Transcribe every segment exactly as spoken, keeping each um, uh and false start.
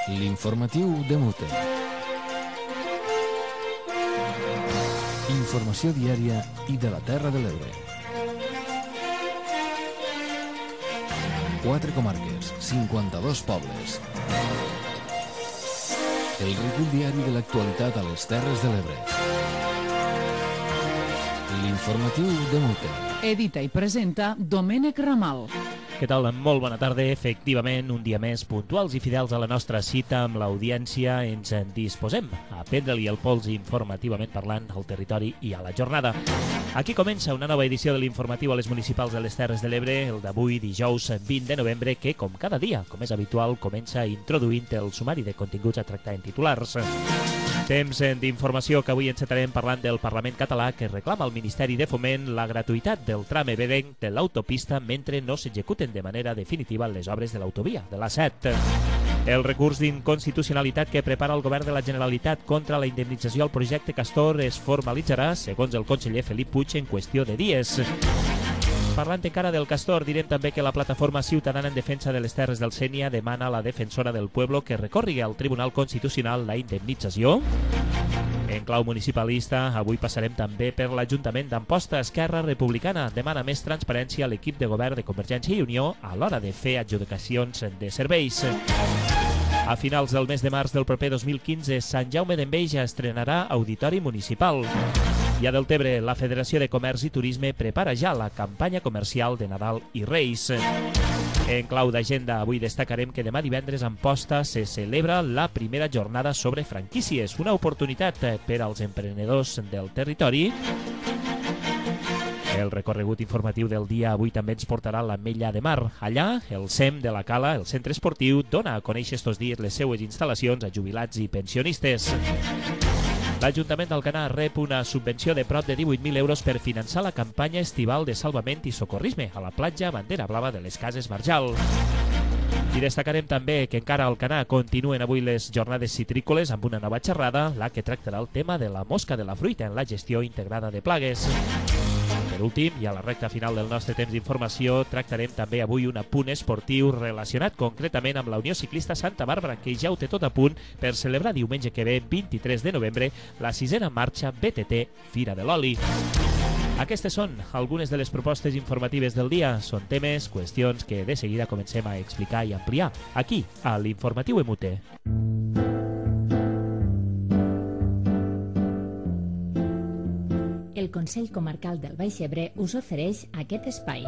L'informatiu de Mute. Informació diària i de la Terra de l'Ebre. Quatre comarques, cinquanta-dos pobles. El recull diari de l'actualitat a les Terres de l'Ebre. L'informatiu de Mute. Edita i presenta Domènec Ramal. Què tal? Molt bona tarda. Efectivament, un dia més puntuals i fidels a la nostra cita amb l'audiència ens en disposem a prendre-li el pols informativament parlant al territori i a la jornada. Aquí comença una nova edició de l'informatiu a les municipals de les Terres de l'Ebre, el d'avui, dijous vint de novembre, que, com cada dia, com és habitual, comença introduint el sumari de continguts a tractar en titulars. Temps d'informació que avui encetarem parlant del Parlament català que reclama al Ministeri de Foment la gratuïtat del tram ebrenc de l'autopista mentre no s'executen de manera definitiva les obres de l'autovia de l'A set. El recurs d'inconstitucionalitat que prepara el Govern de la Generalitat contra la indemnització al projecte Castor es formalitzarà, segons el conseller Felip Puig, en qüestió de dies. Parlant encara del Castor, direm també que la plataforma ciutadana en defensa de les Terres del Sénia demana a la defensora del pueblo que recorri al Tribunal Constitucional la indemnització. En clau municipalista, avui passarem també per l'Ajuntament d'Amposta. Esquerra Republicana demana més transparència a l'equip de govern de Convergència i Unió a l'hora de fer adjudicacions de serveis. A finals del mes de març del proper dos mil quinze, Sant Jaume d'Enveja estrenarà auditori municipal. I a Deltebre, la Federació de Comerç i Turisme prepara ja la campanya comercial de Nadal i Reis. En clau d'agenda, avui destacarem que demà divendres a Amposta se celebra la primera jornada sobre franquícies, una oportunitat per als emprenedors del territori. El recorregut informatiu del dia avui també ens portarà a l'Ametlla de Mar. Allà, el C E M de la Cala, el centre esportiu, dona a conèixer estos dies les seues instal·lacions a jubilats i pensionistes. L'Ajuntament d'Alcanar rep una subvenció de prop de divuit mil euros per finançar la campanya estival de salvament i socorrisme a la platja Bandera Blava de les Cases Marjal. I destacarem també que encara a Alcanar continuen avui les jornades citrícoles amb una nova xerrada, la que tractarà el tema de la mosca de la fruita en la gestió integrada de plagues. Per últim, i a la recta final del nostre temps d'informació, tractarem també avui un apunt esportiu relacionat concretament amb la Unió Ciclista Santa Bàrbara, que ja ho té tot a punt per celebrar diumenge que ve, vint-i-tres de novembre, la sisena marxa B T T Fira de l'Oli. Aquestes són algunes de les propostes informatives del dia. Són temes, qüestions que de seguida comencem a explicar i ampliar aquí, a l'Informatiu M U T. El Consell Comarcal del Baix Ebre us ofereix aquest espai.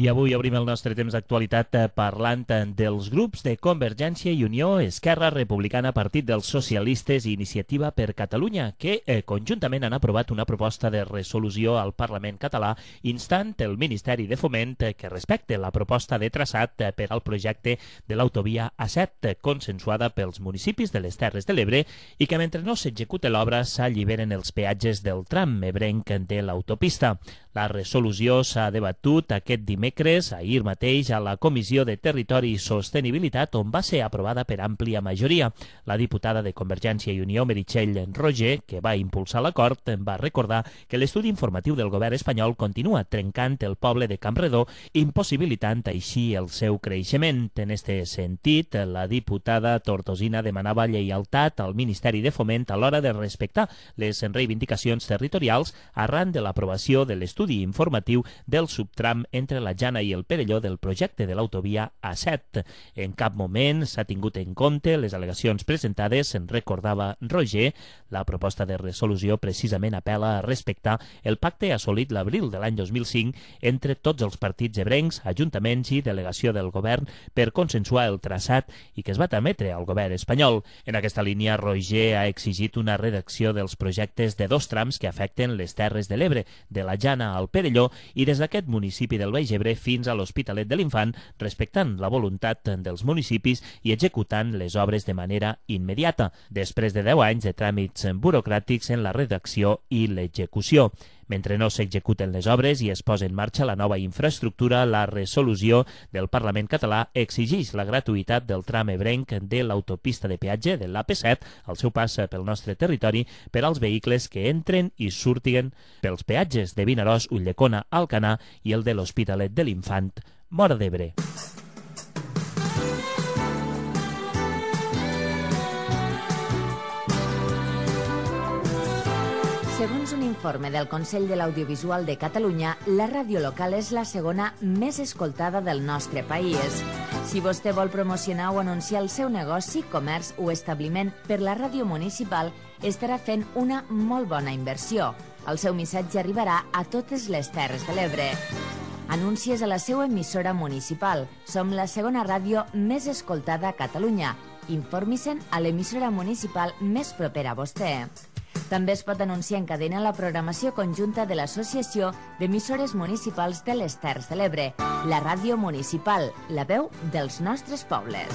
I avui obrim el nostre temps d'actualitat parlant dels grups de Convergència i Unió, Esquerra Republicana, Partit dels Socialistes i Iniciativa per Catalunya, que eh, conjuntament han aprovat una proposta de resolució al Parlament català instant el Ministeri de Foment eh, que respecte la proposta de traçat eh, per al projecte de l'autovia A set, eh, consensuada pels municipis de les Terres de l'Ebre i que mentre no s'execute l'obra s'alliberen els peatges del tram ebrenc de l'autopista. La resolució s'ha debatut aquest dimecres, ahir mateix, a la Comissió de Territori i Sostenibilitat, on va ser aprovada per àmplia majoria. La diputada de Convergència i Unió, Meritxell Roger, que va impulsar l'acord, va recordar que l'estudi informatiu del govern espanyol continua trencant el poble de Campredó, impossibilitant així el seu creixement. En este sentit, la diputada tortosina demanava lleialtat al Ministeri de Foment a l'hora de respectar les reivindicacions territorials arran de l'aprovació de l'estudi informatiu del subtram entre la Jana i el Perelló del projecte de l'autovia A set. En cap moment s'ha tingut en compte les al·legacions presentades, en recordava Roger. La proposta de resolució precisament apel·la a respectar el pacte assolit l'abril de l'any dos mil cinc entre tots els partits ebrencs, ajuntaments i delegació del govern per consensuar el traçat i que es va trametre al govern espanyol. En aquesta línia, Roger ha exigit una redacció dels projectes de dos trams que afecten les Terres de l'Ebre, de la Jana al Perelló i des d'aquest municipi del Baix Ebre fins a l'Hospitalet de l'Infant, respectant la voluntat dels municipis i executant les obres de manera immediata, després de deu anys de tràmits burocràtics en la redacció i l'execució. Mentre no s'executen les obres i es posa en marxa la nova infraestructura, la resolució del Parlament català exigeix la gratuïtat del tram ebrenc de l'autopista de peatge de l'A P set al seu pas pel nostre territori per als vehicles que entren i surtiguen pels peatges de Vinaròs, Ulldecona, Alcanar i el de l'Hospitalet de l'Infant, Móra d'Ebre. Segons un informe del Consell de l'Audiovisual de Catalunya, la ràdio local és la segona més escoltada del nostre país. Si vostè vol promocionar o anunciar el seu negoci, comerç o establiment per la ràdio municipal, estarà fent una molt bona inversió. El seu missatge arribarà a totes les Terres de l'Ebre. Anuncies a la seva emissora municipal. Som la segona ràdio més escoltada a Catalunya. Informi-se'n a l'emissora municipal més propera a vostè. També es pot anunciar en cadena la programació conjunta de l'Associació d'Emissores Municipals de les Terres de l'Ebre, la ràdio municipal, la veu dels nostres pobles.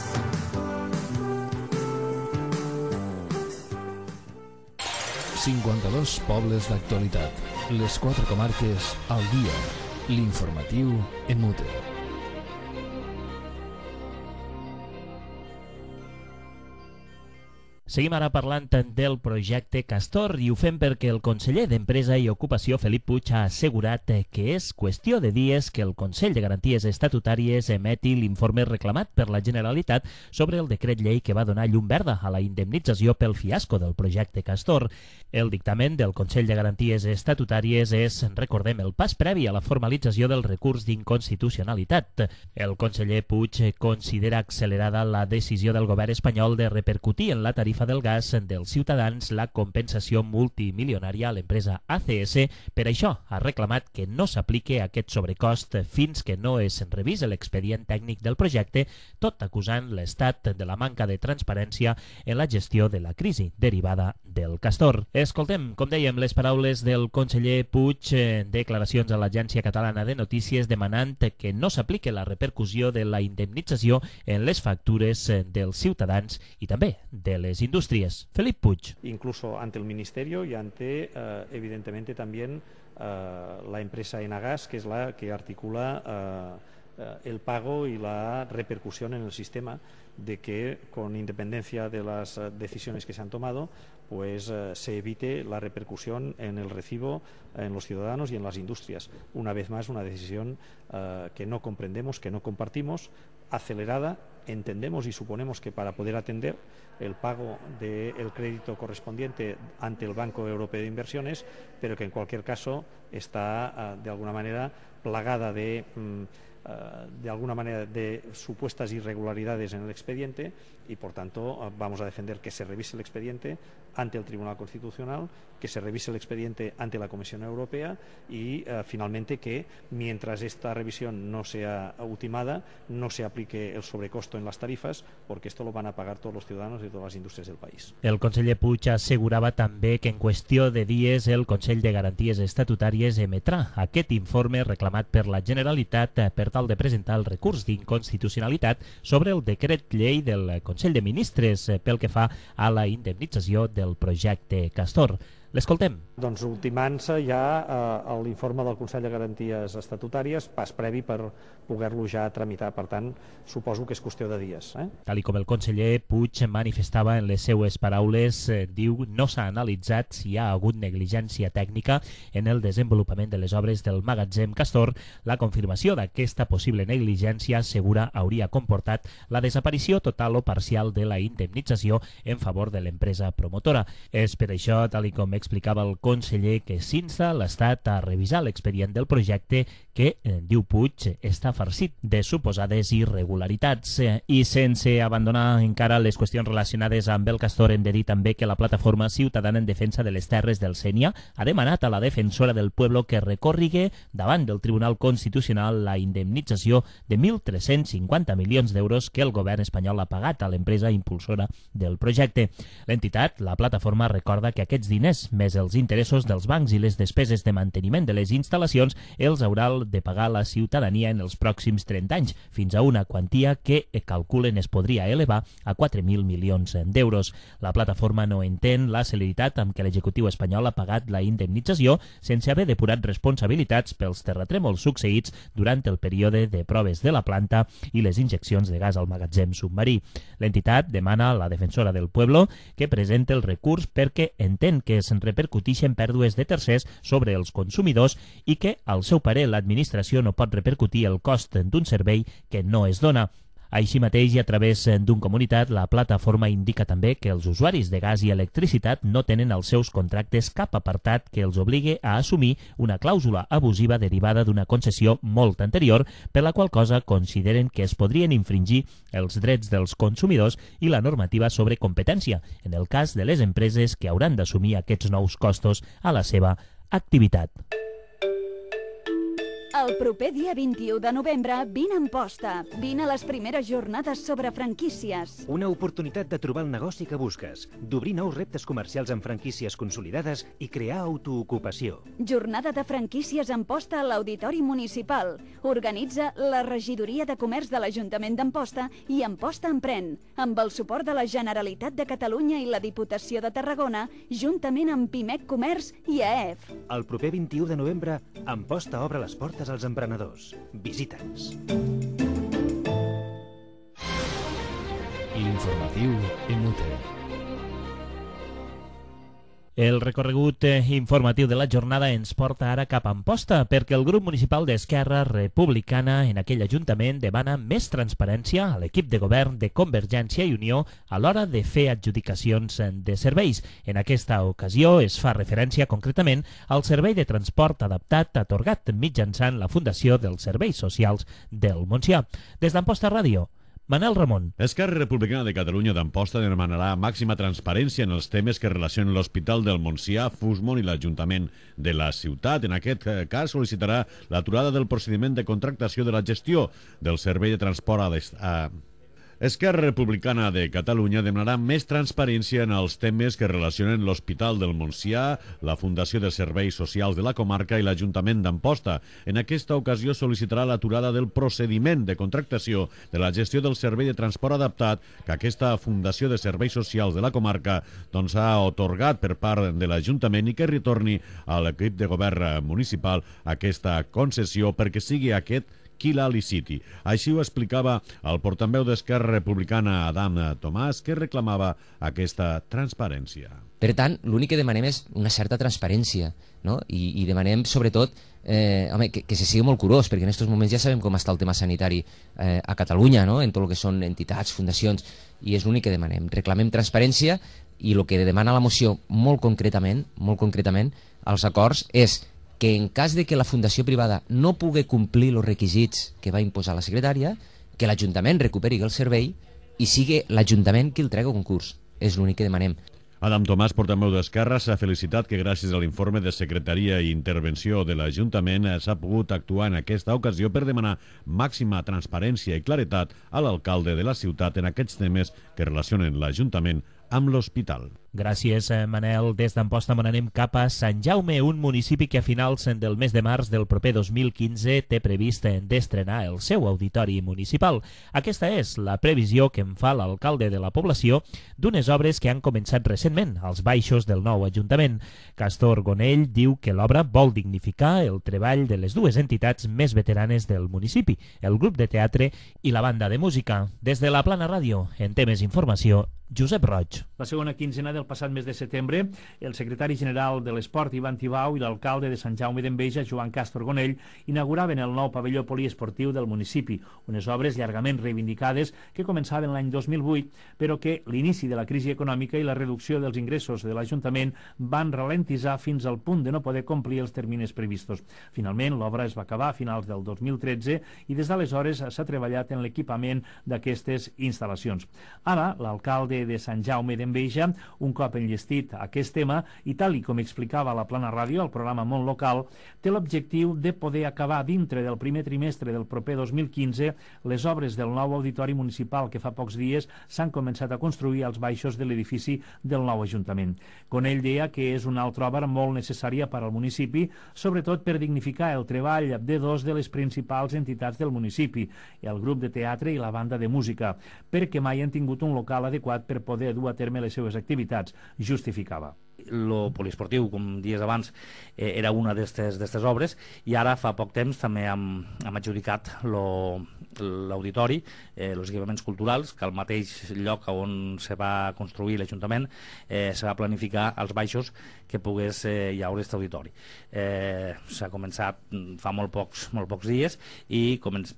cinquanta-dos pobles d'actualitat. Les quatre comarques al dia. L'informatiu en mute. Seguim ara parlant del projecte Castor i ho fem perquè el conseller d'Empresa i Ocupació, Felip Puig, ha assegurat que és qüestió de dies que el Consell de Garanties Estatutàries emeti l'informe reclamat per la Generalitat sobre el decret llei que va donar llum verda a la indemnització pel fiasco del projecte Castor. El dictamen del Consell de Garanties Estatutàries és, recordem, el pas previ a la formalització del recurs d'inconstitucionalitat. El conseller Puig considera accelerada la decisió del govern espanyol de repercutir en la tarifa del gas dels ciutadans la compensació multimilionària a l'empresa A C S. Per això ha reclamat que no s'apliqui aquest sobrecost fins que no es revise l'expedient tècnic del projecte, tot acusant l'Estat de la manca de transparència en la gestió de la crisi derivada del Castor. Escoltem, com dèiem, les paraules del conseller Puig, declaracions a l'Agència Catalana de Notícies demanant que no s'apliqui la repercussió de la indemnització en les factures dels ciutadans i també de les industrias. Felip Puig. Incluso ante el Ministerio y ante, eh, evidentemente, también eh, la empresa Enagas, que es la que articula eh, el pago y la repercusión en el sistema, de que, con independencia de las decisiones que se han tomado, pues eh, se evite la repercusión en el recibo en los ciudadanos y en las industrias. Una vez más, una decisión eh, que no comprendemos, que no compartimos, acelerada. Entendemos y suponemos que para poder atender el pago del crédito correspondiente ante el Banco Europeo de Inversiones, pero que en cualquier caso está de alguna manera plagada de, de alguna manera de supuestas irregularidades en el expediente y por tanto vamos a defender que se revise el expediente ante el Tribunal Constitucional, que se revise el expediente ante la Comisión Europea y uh, finalmente que mientras esta revisión no sea ultimada no se aplique el sobrecosto en las tarifas, porque esto lo van a pagar todos los ciudadanos y todas las industrias del país. El conseller Puig assegurava també que en qüestió de dies el Consell de Garanties Estatutàries emetrà aquest informe reclamat per la Generalitat per tal de presentar el recurs d'inconstitucionalitat sobre el decret llei del Consell de Ministres pel que fa a la indemnització del projecte Castor. L'escoltem. Doncs ultimant-se ja eh, l'informe del Consell de Garanties Estatutàries, pas previ per poder-lo ja tramitar. Per tant, suposo que és qüestió de dies. Eh? Tal com el conseller Puig manifestava en les seues paraules, eh, diu no s'ha analitzat si hi ha hagut negligència tècnica en el desenvolupament de les obres del magatzem Castor. La confirmació d'aquesta possible negligència segura hauria comportat la desaparició total o parcial de la indemnització en favor de l'empresa promotora. És per això, tal com explicava el conseller, que s'insta l'Estat a revisar l'expedient del projecte que, eh, diu Puig, està farcit de suposades irregularitats. Eh, I sense abandonar encara les qüestions relacionades amb el Castor, hem de dir també que la Plataforma Ciutadana en Defensa de les Terres del Sénia ha demanat a la defensora del pueblo que recorrigue davant del Tribunal Constitucional la indemnització de mil tres-cents cinquanta milions d'euros que el govern espanyol ha pagat a l'empresa impulsora del projecte. L'entitat, la plataforma, recorda que aquests diners anys, més els interessos dels bancs i les despeses de manteniment de les instal·lacions, els haurà de pagar la ciutadania en els pròxims trenta anys, fins a una quantia que calculen es podria elevar a quatre mil milions d'euros. La plataforma no entén la celeritat amb què l'executiu espanyol ha pagat la indemnització sense haver depurat responsabilitats pels terratrèmols succeïts durant el període de proves de la planta i les injeccions de gas al magatzem submarí. L'entitat demana a la defensora del Pueblo que presente el recurs perquè entén que es repercuteixen pèrdues de tercers sobre els consumidors i que, al seu parer, l'administració no pot repercutir el cost d'un servei que no es dona. Així mateix, i a través d'un comunicat, la plataforma indica també que els usuaris de gas i electricitat no tenen als seus contractes cap apartat que els obligui a assumir una clàusula abusiva derivada d'una concessió molt anterior, per la qual cosa consideren que es podrien infringir els drets dels consumidors i la normativa sobre competència, en el cas de les empreses que hauran d'assumir aquests nous costos a la seva activitat. El proper dia vint-i-u de novembre, vine a Amposta. Vine a les primeres jornades sobre franquícies. Una oportunitat de trobar el negoci que busques, d'obrir nous reptes comercials amb franquícies consolidades i crear autoocupació. Jornada de franquícies a Amposta a l'Auditori Municipal. Organitza la Regidoria de Comerç de l'Ajuntament d'Amposta i Amposta Emprèn, amb el suport de la Generalitat de Catalunya i la Diputació de Tarragona, juntament amb Pimec Comerç i A E F. El proper vint-i-u de novembre, Amposta obre les portes als emprenedors. Visita'ns. L'informatiu M U T. El recorregut informatiu de la jornada ens porta ara cap a Amposta, perquè el grup municipal d'Esquerra Republicana en aquell ajuntament demana més transparència a l'equip de govern de Convergència i Unió a l'hora de fer adjudicacions de serveis. En aquesta ocasió es fa referència concretament al servei de transport adaptat atorgat mitjançant la Fundació dels Serveis Socials del Montsià. Des d'Amposta Ràdio, Manel Ramon. Esquerra Republicana de Catalunya d'Amposta demanarà màxima transparència en els temes que relacionen l'Hospital del Montsià, Fusmon i l'Ajuntament de la ciutat. En aquest cas sol·licitarà l'aturada del procediment de contractació de la gestió del servei de transport a... Esquerra Republicana de Catalunya demanarà més transparència en els temes que relacionen l'Hospital del Montsià, la Fundació de Serveis Socials de la comarca i l'Ajuntament d'Amposta. En aquesta ocasió sol·licitarà l'aturada del procediment de contractació de la gestió del servei de transport adaptat que aquesta Fundació de Serveis Socials de la comarca doncs, ha otorgat per part de l'Ajuntament i que retorni a l'equip de govern municipal aquesta concessió perquè sigui aquest qui la liciti. Així ho explicava el portaveu d'Esquerra Republicana, Adam Tomàs, que reclamava aquesta transparència. Per tant, l'únic que demanem és una certa transparència, no? I, i demanem, sobretot, eh, home, que, que se sigui molt curós, perquè en aquests moments ja sabem com està el tema sanitari eh, a Catalunya, no? En tot el que són entitats, fundacions, i és l'únic que demanem. Reclamem transparència i el que demana la moció molt concretament, molt concretament, als acords, és que en cas de que la fundació privada no pugui complir els requisits que va imposar la secretària, que l'Ajuntament recuperi el servei i sigui l'Ajuntament qui el trega a concurs. És l'únic que demanem. Adam Tomàs, portaveu d'Esquerra, s'ha felicitat que gràcies a l'informe de secretaria i intervenció de l'Ajuntament s'ha pogut actuar en aquesta ocasió per demanar màxima transparència i claretat a l'alcalde de la ciutat en aquests temes que relacionen l'Ajuntament amb l'hospital. Gràcies, Manel. Des d'Amposta anem cap a Sant Jaume, un municipi que a finals del mes de març del proper dos mil quinze té previst d'estrenar el seu auditori municipal. Aquesta és la previsió que en fa l'alcalde de la població d'unes obres que han començat recentment als baixos del nou Ajuntament. Castor Gonell diu que l'obra vol dignificar el treball de les dues entitats més veteranes del municipi, el grup de teatre i la banda de música. Des de la Plana Ràdio, en temes informació, Josep Roig. La segona quinzena del passat mes de setembre, el secretari general de l'Esport, Ivan Tibau, i l'alcalde de Sant Jaume d'Enveja, Joan Castor Gonell, inauguraven el nou pavelló poliesportiu del municipi, unes obres llargament reivindicades que començaven l'any dos mil vuit, però que l'inici de la crisi econòmica i la reducció dels ingressos de l'Ajuntament van ralentitzar fins al punt de no poder complir els termines previstos. Finalment, l'obra es va acabar a finals del dos mil tretze i des d'aleshores s'ha treballat en l'equipament d'aquestes instal·lacions. Ara, l'alcalde de Sant Jaume d'Enveja, un cop enllestit aquest tema i, tal i com explicava la Plana Ràdio, el programa Món Local, té l'objectiu de poder acabar dintre del primer trimestre del proper dos mil quinze les obres del nou auditori municipal que fa pocs dies s'han començat a construir als baixos de l'edifici del nou Ajuntament. Conell deia que és una altra obra molt necessària per al municipi, sobretot per dignificar el treball de dos de les principals entitats del municipi, el grup de teatre i la banda de música, perquè mai han tingut un local adequat per poder dur a terme les seves activitats, justificava. Lo poliesportiu, com dies abans, eh, era una d'aquestes obres, i ara fa poc temps també hem, hem adjudicat l'auditori, eh, els equipaments culturals, que al mateix lloc on se va construir l'Ajuntament eh, se va planificar als baixos que pogués eh, hi haure aquest auditori. Eh, S'ha començat fa molt pocs, molt pocs dies i començ,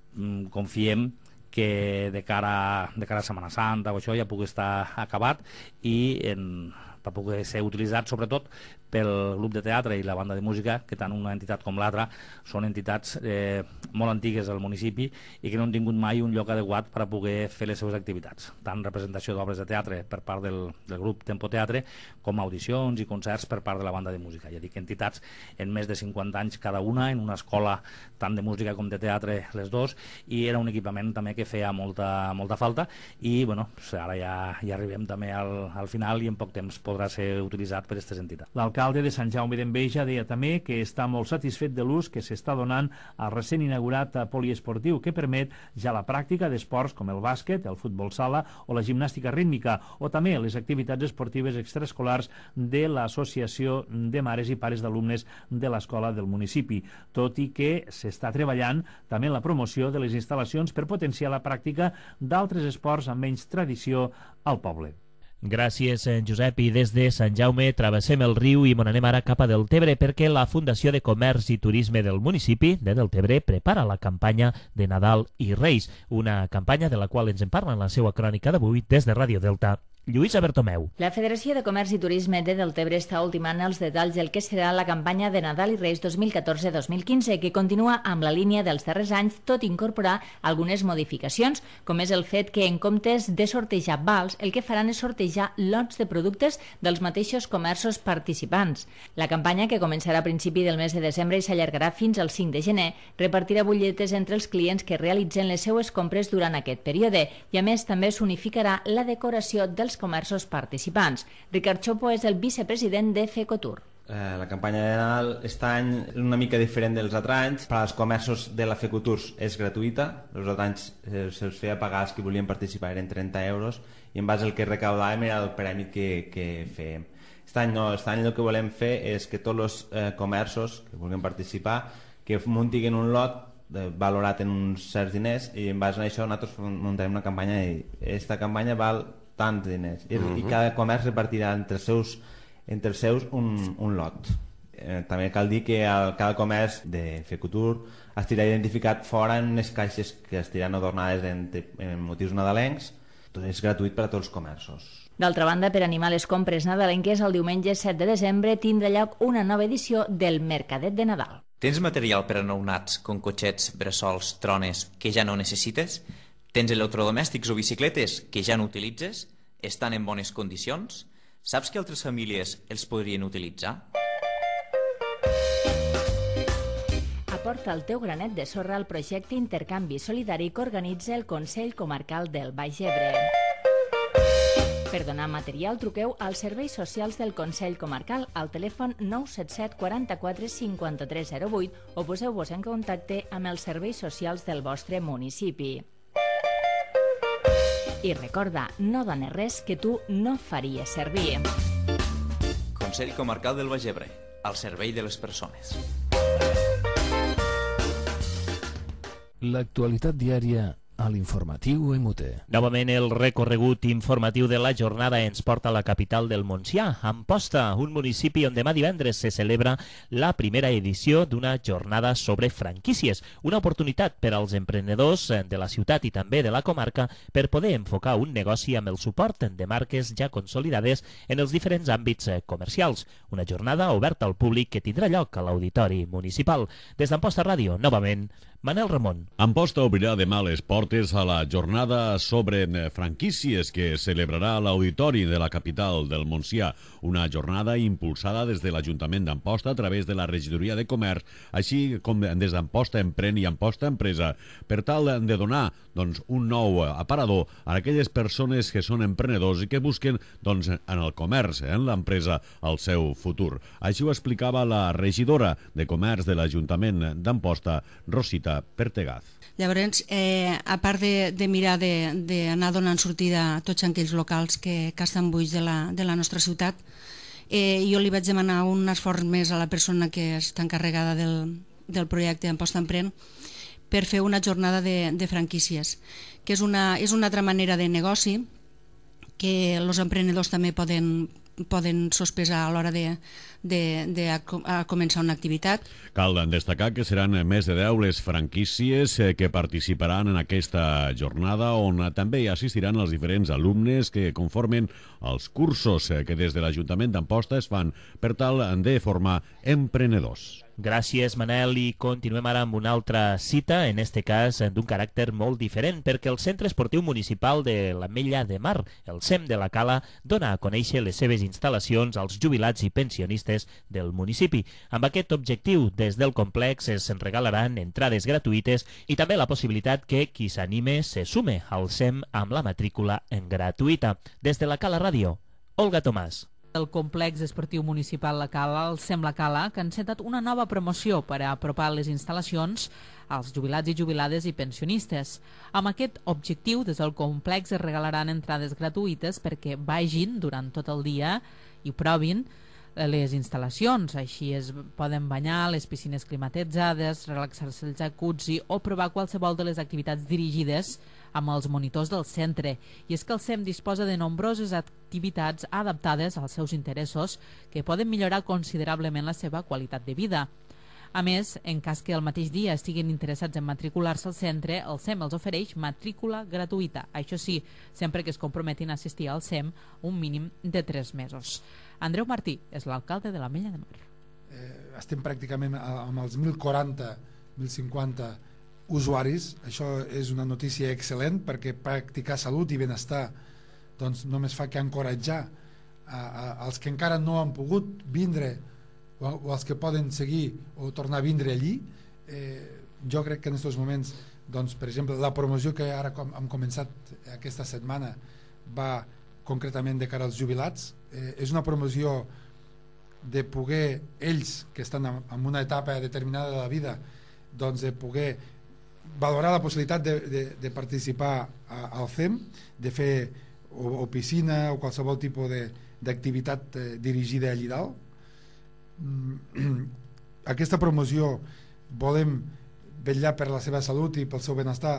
confiem que de cara, de cara a Setmana Santa o això ja pugui estar acabat i en, per poder ser utilitzat sobretot pel grup de teatre i la banda de música, que tant una entitat com l'altra són entitats eh, molt antigues al municipi i que no han tingut mai un lloc adequat per a poder fer les seves activitats, tant representació d'obres de teatre per part del, del grup Tempo Teatre com audicions i concerts per part de la banda de música. Ja dic, entitats en més de cinquanta anys cada una, en una escola tant de música com de teatre les dos, i era un equipament també que feia molta, molta falta i bueno, ara ja, ja arribem també al, al final i en poc temps podrà ser utilitzat per aquestes entitats. L'alcalde de Sant Jaume d'Enveja deia també que està molt satisfet de l'ús que s'està donant al recent inaugurat poliesportiu, que permet ja la pràctica d'esports com el bàsquet, el futbol sala o la gimnàstica rítmica, o també les activitats esportives extraescolars de l'Associació de Mares i Pares d'Alumnes de l'Escola del municipi, tot i que s'està treballant també en la promoció de les instal·lacions per potenciar la pràctica d'altres esports amb menys tradició al poble. Gràcies, Josep. I des de Sant Jaume travessem el riu i mon anem ara cap a Deltebre, perquè la Fundació de Comerç i Turisme del municipi de Deltebre prepara la campanya de Nadal i Reis, una campanya de la qual ens en parla en la seva crònica d'avui des de Ràdio Delta. Lluïsa Bertomeu. La Federació de Comerç i Turisme de Deltebre està ultimant els detalls del que serà la campanya de Nadal i Reis dos mil catorze dos mil quinze, que continua amb la línia dels darrers anys, tot incorporar algunes modificacions, com és el fet que en comptes de sortejar vals, el que faran és sortejar lots de productes dels mateixos comerços participants. La campanya, que començarà a principi del mes de desembre i s'allargarà fins al cinc de gener, repartirà butlletes entre els clients que realitzen les seues compres durant aquest període i, a més, també s'unificarà la decoració dels comerços participants. Ricard Chopo és el vicepresident de FECOTUR. Eh, la campanya de Nadal aquest any és una mica diferent dels altres anys. Per als comerços de la FECOTUR és gratuïta. Els altres anys eh, se'ls feia pagar els que volien participar, eren trenta euros, i en base al que recaudàvem era el premi que, que fèiem. Aquest any no, aquest any el que volem fer és que tots els eh, comerços que vulguin participar que muntin un lot de, valorat en uns certs diners, i en base a això nosaltres muntarem una campanya i aquesta campanya val tants diners, I, uh-huh. i cada comerç repartirà entre els seus, entre els seus un, un lot. Eh, també cal dir que el, cada comerç de FECOTUR estirà identificat fora en unes caixes que estiran adornades en, en motius nadalencs. Tot és gratuït per a tots els comerços. D'altra banda, per animar les compres nadalenques, el diumenge set de desembre tindrà lloc una nova edició del Mercadet de Nadal. Tens material per a nounats, com cotxets, bressols, trones, que ja no necessites? Tens electrodomèstics o bicicletes que ja no utilitzes? Estan en bones condicions? Saps que altres famílies els podrien utilitzar? Aporta el teu granet de sorra al projecte Intercanvi Solidari que organitza el Consell Comarcal del Baix Ebre. Per donar material, truqueu als serveis socials del Consell Comarcal al telèfon nou set set quaranta-quatre cinquanta-tres zero vuit o poseu-vos en contacte amb els serveis socials del vostre municipi. I recorda, no dones res que tu no faries servir. Consell Comarcal del Baix Ebre, al servei de les persones. L'actualitat diària a l'informatiu M U T. Novament el recorregut informatiu de la jornada ens porta a la capital del Montsià, Amposta, un municipi on demà divendres se celebra la primera edició d'una jornada sobre franquícies, una oportunitat per als emprenedors de la ciutat i també de la comarca per poder enfocar un negoci amb el suport de marques ja consolidades en els diferents àmbits comercials. Una jornada oberta al públic que tindrà lloc a l'Auditori Municipal. Des d'Amposta Ràdio, novament, Manel Ramon. Amposta obrirà demà les portes a la jornada sobre franquícies que celebrarà a l'Auditori de la capital del Montsià, una jornada impulsada des de l'Ajuntament d'Amposta a través de la Regidoria de Comerç, així com des d'Amposta Emprèn i Amposta Empresa, per tal de donar doncs, un nou aparador a aquelles persones que són emprenedors i que busquen doncs, en el comerç, en l'empresa, el seu futur. Així ho explicava la regidora de Comerç de l'Ajuntament d'Amposta, Rosita Pertegaz. Llavors, eh, a part de, de mirar d'anar donant sortida a tots aquells locals que, que estan buits de la, de la nostra ciutat, eh, jo li vaig demanar un esforç més a la persona que està encarregada del, del projecte Amposta Emprèn per fer una jornada de, de franquícies, que és una, és una altra manera de negoci que els emprenedors també poden, poden sospesar a l'hora de, de, de a, a començar una activitat. Cal destacar que seran més de deu les franquícies que participaran en aquesta jornada, on també hi assistiran els diferents alumnes que conformen els cursos que des de l'Ajuntament d'Amposta es fan per tal de formar emprenedors. Gràcies, Manel, i continuem ara amb una altra cita, en este cas d'un caràcter molt diferent, perquè el Centre Esportiu Municipal de l'Ametlla de Mar, el C E M de la Cala, dona a conèixer les seves instal·lacions als jubilats i pensionistes del municipi. Amb aquest objectiu, des del complex es regalaran entrades gratuïtes i també la possibilitat que qui s'anime se sume al C E M amb la matrícula gratuïta. Des de la Cala Ràdio, Olga Tomàs. El complex esportiu municipal La Cala, el C E M La Cala, que ha encetat una nova promoció per a apropar les instal·lacions als jubilats i jubilades i pensionistes. Amb aquest objectiu, des del complex es regalaran entrades gratuïtes perquè vagin durant tot el dia i provin les instal·lacions. Així es poden banyar, les piscines climatitzades, relaxar-se el jacuzzi o provar qualsevol de les activitats dirigides amb els monitors del centre. I és que el C E M disposa de nombroses activitats adaptades als seus interessos que poden millorar considerablement la seva qualitat de vida. A més, en cas que el mateix dia estiguin interessats en matricular-se al centre, el C E M els ofereix matrícula gratuïta. Això sí, sempre que es comprometin a assistir al C E M un mínim de tres mesos. Andreu Martí és l'alcalde de l'Ametlla de Mar. Eh, estem pràcticament amb els mil quaranta, mil cinquanta usuaris. Això és una notícia excel·lent perquè practicar salut i benestar doncs només fa que encoratjar a, a, als que encara no han pogut vindre o, o als que poden seguir o tornar a vindre allí. Eh, jo crec que en aquests moments, doncs, per exemple, la promoció que ara com, hem començat aquesta setmana va concretament de cara als jubilats. Eh, és una promoció de poder, ells que estan en, en una etapa determinada de la vida, doncs de poder valorar la possibilitat de, de, de participar a, al C E M, de fer o, o piscina o qualsevol tipus d'activitat eh, dirigida allí dalt. Mm, aquesta promoció volem vetllar per la seva salut i pel seu benestar.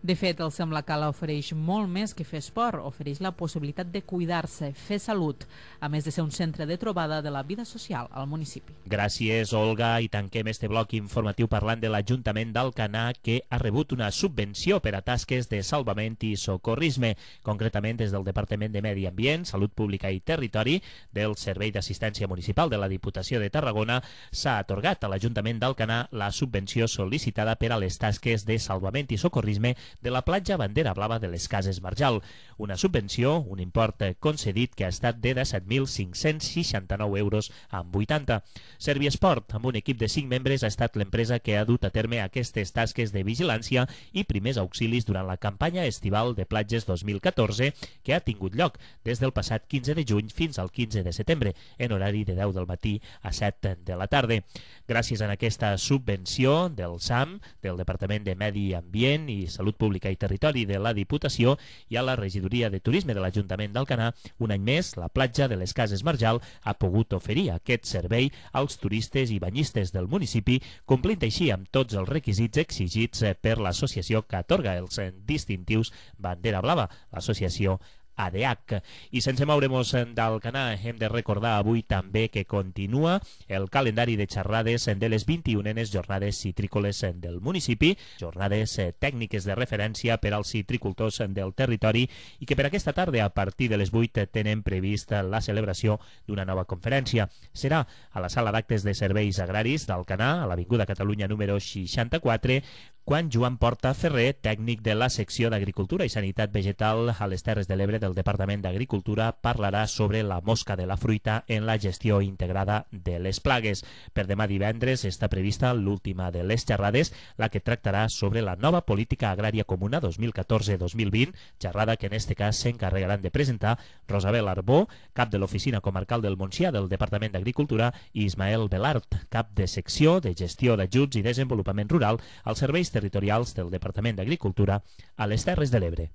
De fet, el C E M La Cala ofereix molt més que fer esport, ofereix la possibilitat de cuidar-se, fer salut, a més de ser un centre de trobada de la vida social al municipi. Gràcies, Olga, i tanquem este bloc informatiu parlant de l'Ajuntament d'Alcanar, que ha rebut una subvenció per a tasques de salvament i socorrisme, concretament des del Departament de Medi Ambient, Salut Pública i Territori, del Servei d'Assistència Municipal de la Diputació de Tarragona. S'ha atorgat a l'Ajuntament d'Alcanar la subvenció sol·licitada per a les tasques de salvament i socorrisme de la platja Bandera Blava de les Cases Marjal. Una subvenció, un import concedit que ha estat de disset mil cinc-cents seixanta-nou euros amb vuitanta. Serviesport, amb un equip de cinc membres, ha estat l'empresa que ha dut a terme aquestes tasques de vigilància i primers auxilis durant la campanya estival de platges dos mil catorze, que ha tingut lloc des del passat quinze de juny fins al quinze de setembre, en horari de deu del matí a set de la tarda. Gràcies a aquesta subvenció del S A M, del Departament de Medi Ambient i Salut Pública i Territori de la Diputació i a la Regidoria de Turisme de l'Ajuntament d'Alcanar, un any més la platja de les Cases Marjal ha pogut oferir aquest servei als turistes i banyistes del municipi, complint així amb tots els requisits exigits per l'associació que atorga els distintius Bandera Blava, l'associació A D H. I sense moure'ns d'Alcanar, hem de recordar avui també que continua el calendari de xerrades de les vint-i-unenes jornades citrícoles del municipi, jornades tècniques de referència per als citricultors del territori i que per aquesta tarda, a partir de les vuit, tenen previst la celebració d'una nova conferència. Serà a la sala d'actes de serveis agraris d'Alcanar, a l'Avinguda Catalunya número seixanta-quatre, quan Joan Porta Ferrer, tècnic de la secció d'Agricultura i Sanitat Vegetal a les Terres de l'Ebre del Departament d'Agricultura, parlarà sobre la mosca de la fruita en la gestió integrada de les plagues. Per demà divendres està prevista l'última de les xerrades, la que tractarà sobre la nova política agrària comuna dos mil catorze dos mil vint, xerrada que en este cas s'encarregaran de presentar Rosabel Arbó, cap de l'Oficina Comarcal del Montsià del Departament d'Agricultura, i Ismael Belart, cap de secció de gestió d'ajuts i desenvolupament rural als serveis territorials del Departament d'Agricultura a les Terres de l'Ebre.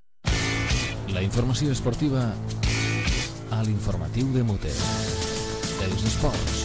La informació esportiva a l'informatiu de Mute. Els esports.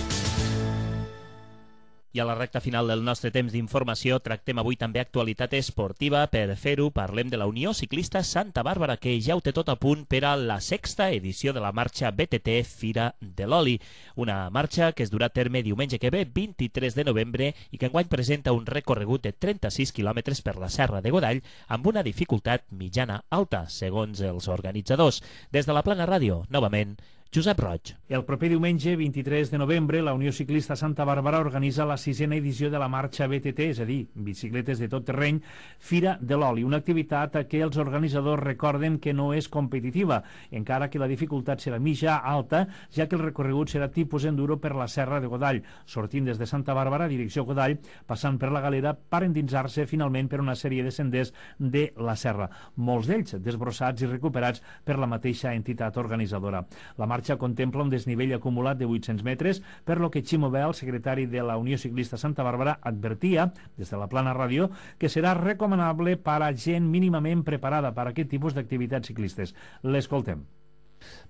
I a la recta final del nostre temps d'informació tractem avui també actualitat esportiva. Per fer-ho parlem de la Unió Ciclista Santa Bàrbara, que ja ho té tot a punt per a la sexta edició de la marxa B T T Fira de l'Oli. Una marxa que es durà a terme diumenge que ve, vint-i-tres de novembre, i que enguany presenta un recorregut de trenta-sis quilòmetres per la Serra de Godall amb una dificultat mitjana-alta, segons els organitzadors. Des de la Plana Ràdio, novament, Josep Roig. El proper diumenge, vint-i-tres de novembre, la Unió Ciclista Santa Bàrbara organitza la sisena edició de la marxa B T T, és a dir, bicicletes de tot terreny, Fira de l'Oli, una activitat que els organitzadors recorden que no és competitiva, encara que la dificultat serà mitja alta, ja que el recorregut serà tipus enduro per la Serra de Godall, sortint des de Santa Bàrbara, direcció Godall, passant per la Galera, per endinsar-se finalment per una sèrie de senders de la Serra, molts d'ells desbrossats i recuperats per la mateixa entitat organitzadora. La marxa contempla un desnivell acumulat de vuit-cents metres, per lo que Ximo Bel, secretari de la Unió Ciclista Santa Bàrbara, advertia, des de la Plana Ràdio, que serà recomanable per a gent mínimament preparada per a aquest tipus d'activitats ciclistes. L'escoltem.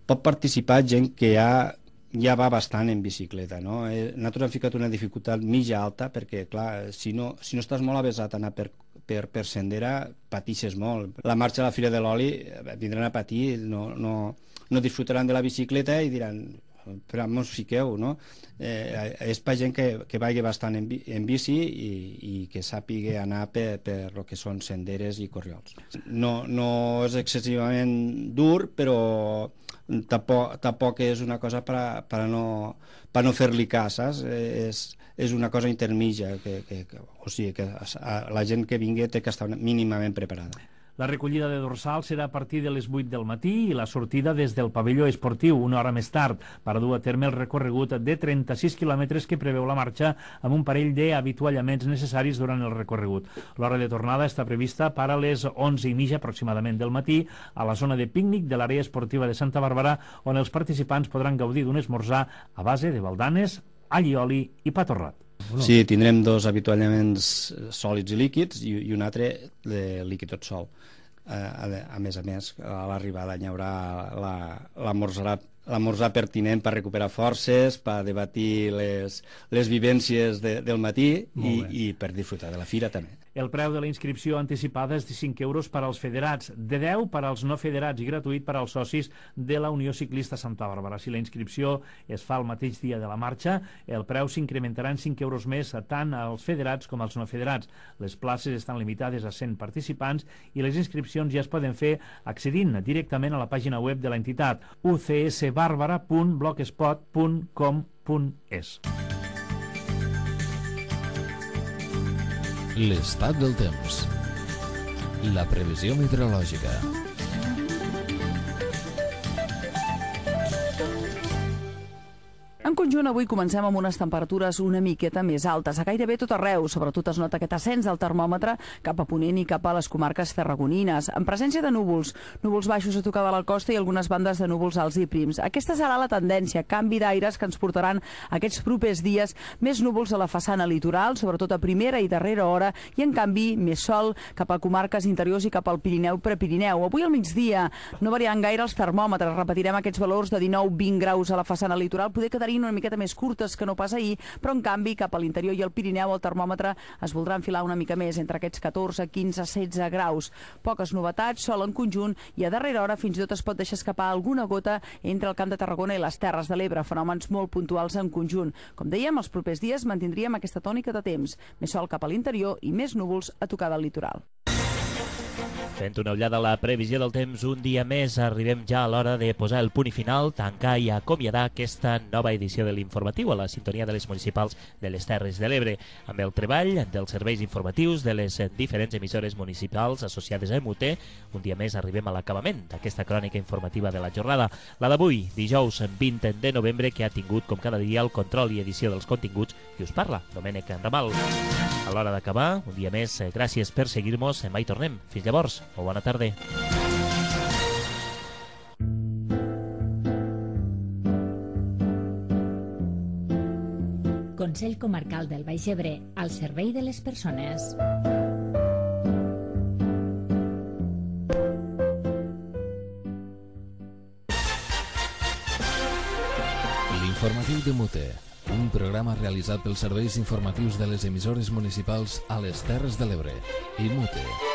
Pot participar gent que ja, ja va bastant en bicicleta, no? Nosaltres hem ficat una dificultat mitja alta, perquè, clar, si no, si no estàs molt avesat a anar per per, per sendera, patixes molt. La marxa a la Fira de l'Oli vindran a patir, no, no, no disfrutaran de la bicicleta i diran, però mos fiqueu, no? Eh, és per gent que, que vagi bastant en, en bici i, i que sàpiga anar per, per el que són senderes i corriols. No, no és excessivament dur, però tampoc, tampoc és una cosa per a, per a no, per no fer-li cas, saps? És, és una cosa intermitja, que, que, que, o sigui, que la gent que vingui té que estar mínimament preparada. La recollida de dorsal serà a partir de les vuit del matí i la sortida des del pavelló esportiu una hora més tard per dur a terme el recorregut de trenta-sis quilòmetres que preveu la marxa amb un parell d'avituallaments necessaris durant el recorregut. L'hora de tornada està prevista per a les onze i mitja aproximadament del matí a la zona de pícnic de l'àrea esportiva de Santa Bàrbara, on els participants podran gaudir d'un esmorzar a base de baldanes, allioli i pa torrat. Sí, tindrem dos avituallaments sòlids i líquids i, i un altre de líquid tot sol. A, a, a més a més, a l'arribada hi haurà l'esmorzar la, l'esmorzar pertinent per recuperar forces, per debatir les, les vivències de, del matí i, i per disfrutar de la fira també. El preu de la inscripció anticipada és de cinc euros per als federats, de deu per als no federats i gratuït per als socis de la Unió Ciclista Santa Bàrbara. Si la inscripció es fa el mateix dia de la marxa, el preu s'incrementarà en cinc euros més tant als federats com als no federats. Les places estan limitades a cent participants i les inscripcions ja es poden fer accedint directament a la pàgina web de l'entitat u c s barbara punt blogspot punt com punt es. L'estat del temps. La previsió meteorològica. En conjunt, avui comencem amb unes temperatures una miqueta més altes. A gairebé tot arreu, sobretot es nota aquest ascens del termòmetre cap a Ponent i cap a les comarques tarragonines. En presència de núvols, núvols baixos a tocar de la costa i algunes bandes de núvols alts i prims. Aquesta serà la tendència, canvi d'aires que ens portaran aquests propers dies més núvols a la façana litoral, sobretot a primera i darrera hora, i en canvi més sol cap a comarques interiors i cap al Pirineu Prepirineu. Avui al migdia no variaran gaire els termòmetres, repetirem aquests valors de dinou a vint graus a la façana litoral, poder quedar una miqueta més curtes que no pas ahir, però en canvi cap a l'interior i al Pirineu el termòmetre es voldrà enfilar una mica més, entre aquests catorze, quinze, setze graus. Poques novetats, sol en conjunt, i a darrera hora fins i tot es pot deixar escapar alguna gota entre el Camp de Tarragona i les Terres de l'Ebre, fenòmens molt puntuals en conjunt. Com dèiem, els propers dies mantindríem aquesta tònica de temps, més sol cap a l'interior i més núvols a tocar del litoral. Fent una ullada a la previsió del temps un dia més, arribem ja a l'hora de posar el punt i final, tancar i acomiadar aquesta nova edició de l'informatiu a la sintonia de les municipals de les Terres de l'Ebre, amb el treball dels serveis informatius de les diferents emissores municipals associades a M U T. Un dia més arribem a l'acabament d'aquesta crònica informativa de la jornada, la d'avui, dijous vint de novembre, que ha tingut, com cada dia, el control i edició dels continguts qui us parla, Domènec Ramal. A l'hora d'acabar, un dia més, gràcies per seguir-nos, demà hi tornem. Fins llavors, o bona tarda. Consell Comarcal del Baix Ebre, al servei de les persones. L'informatiu de Mute, un programa realitzat pels serveis informatius de les emissores municipals a les Terres de l'Ebre i Mute.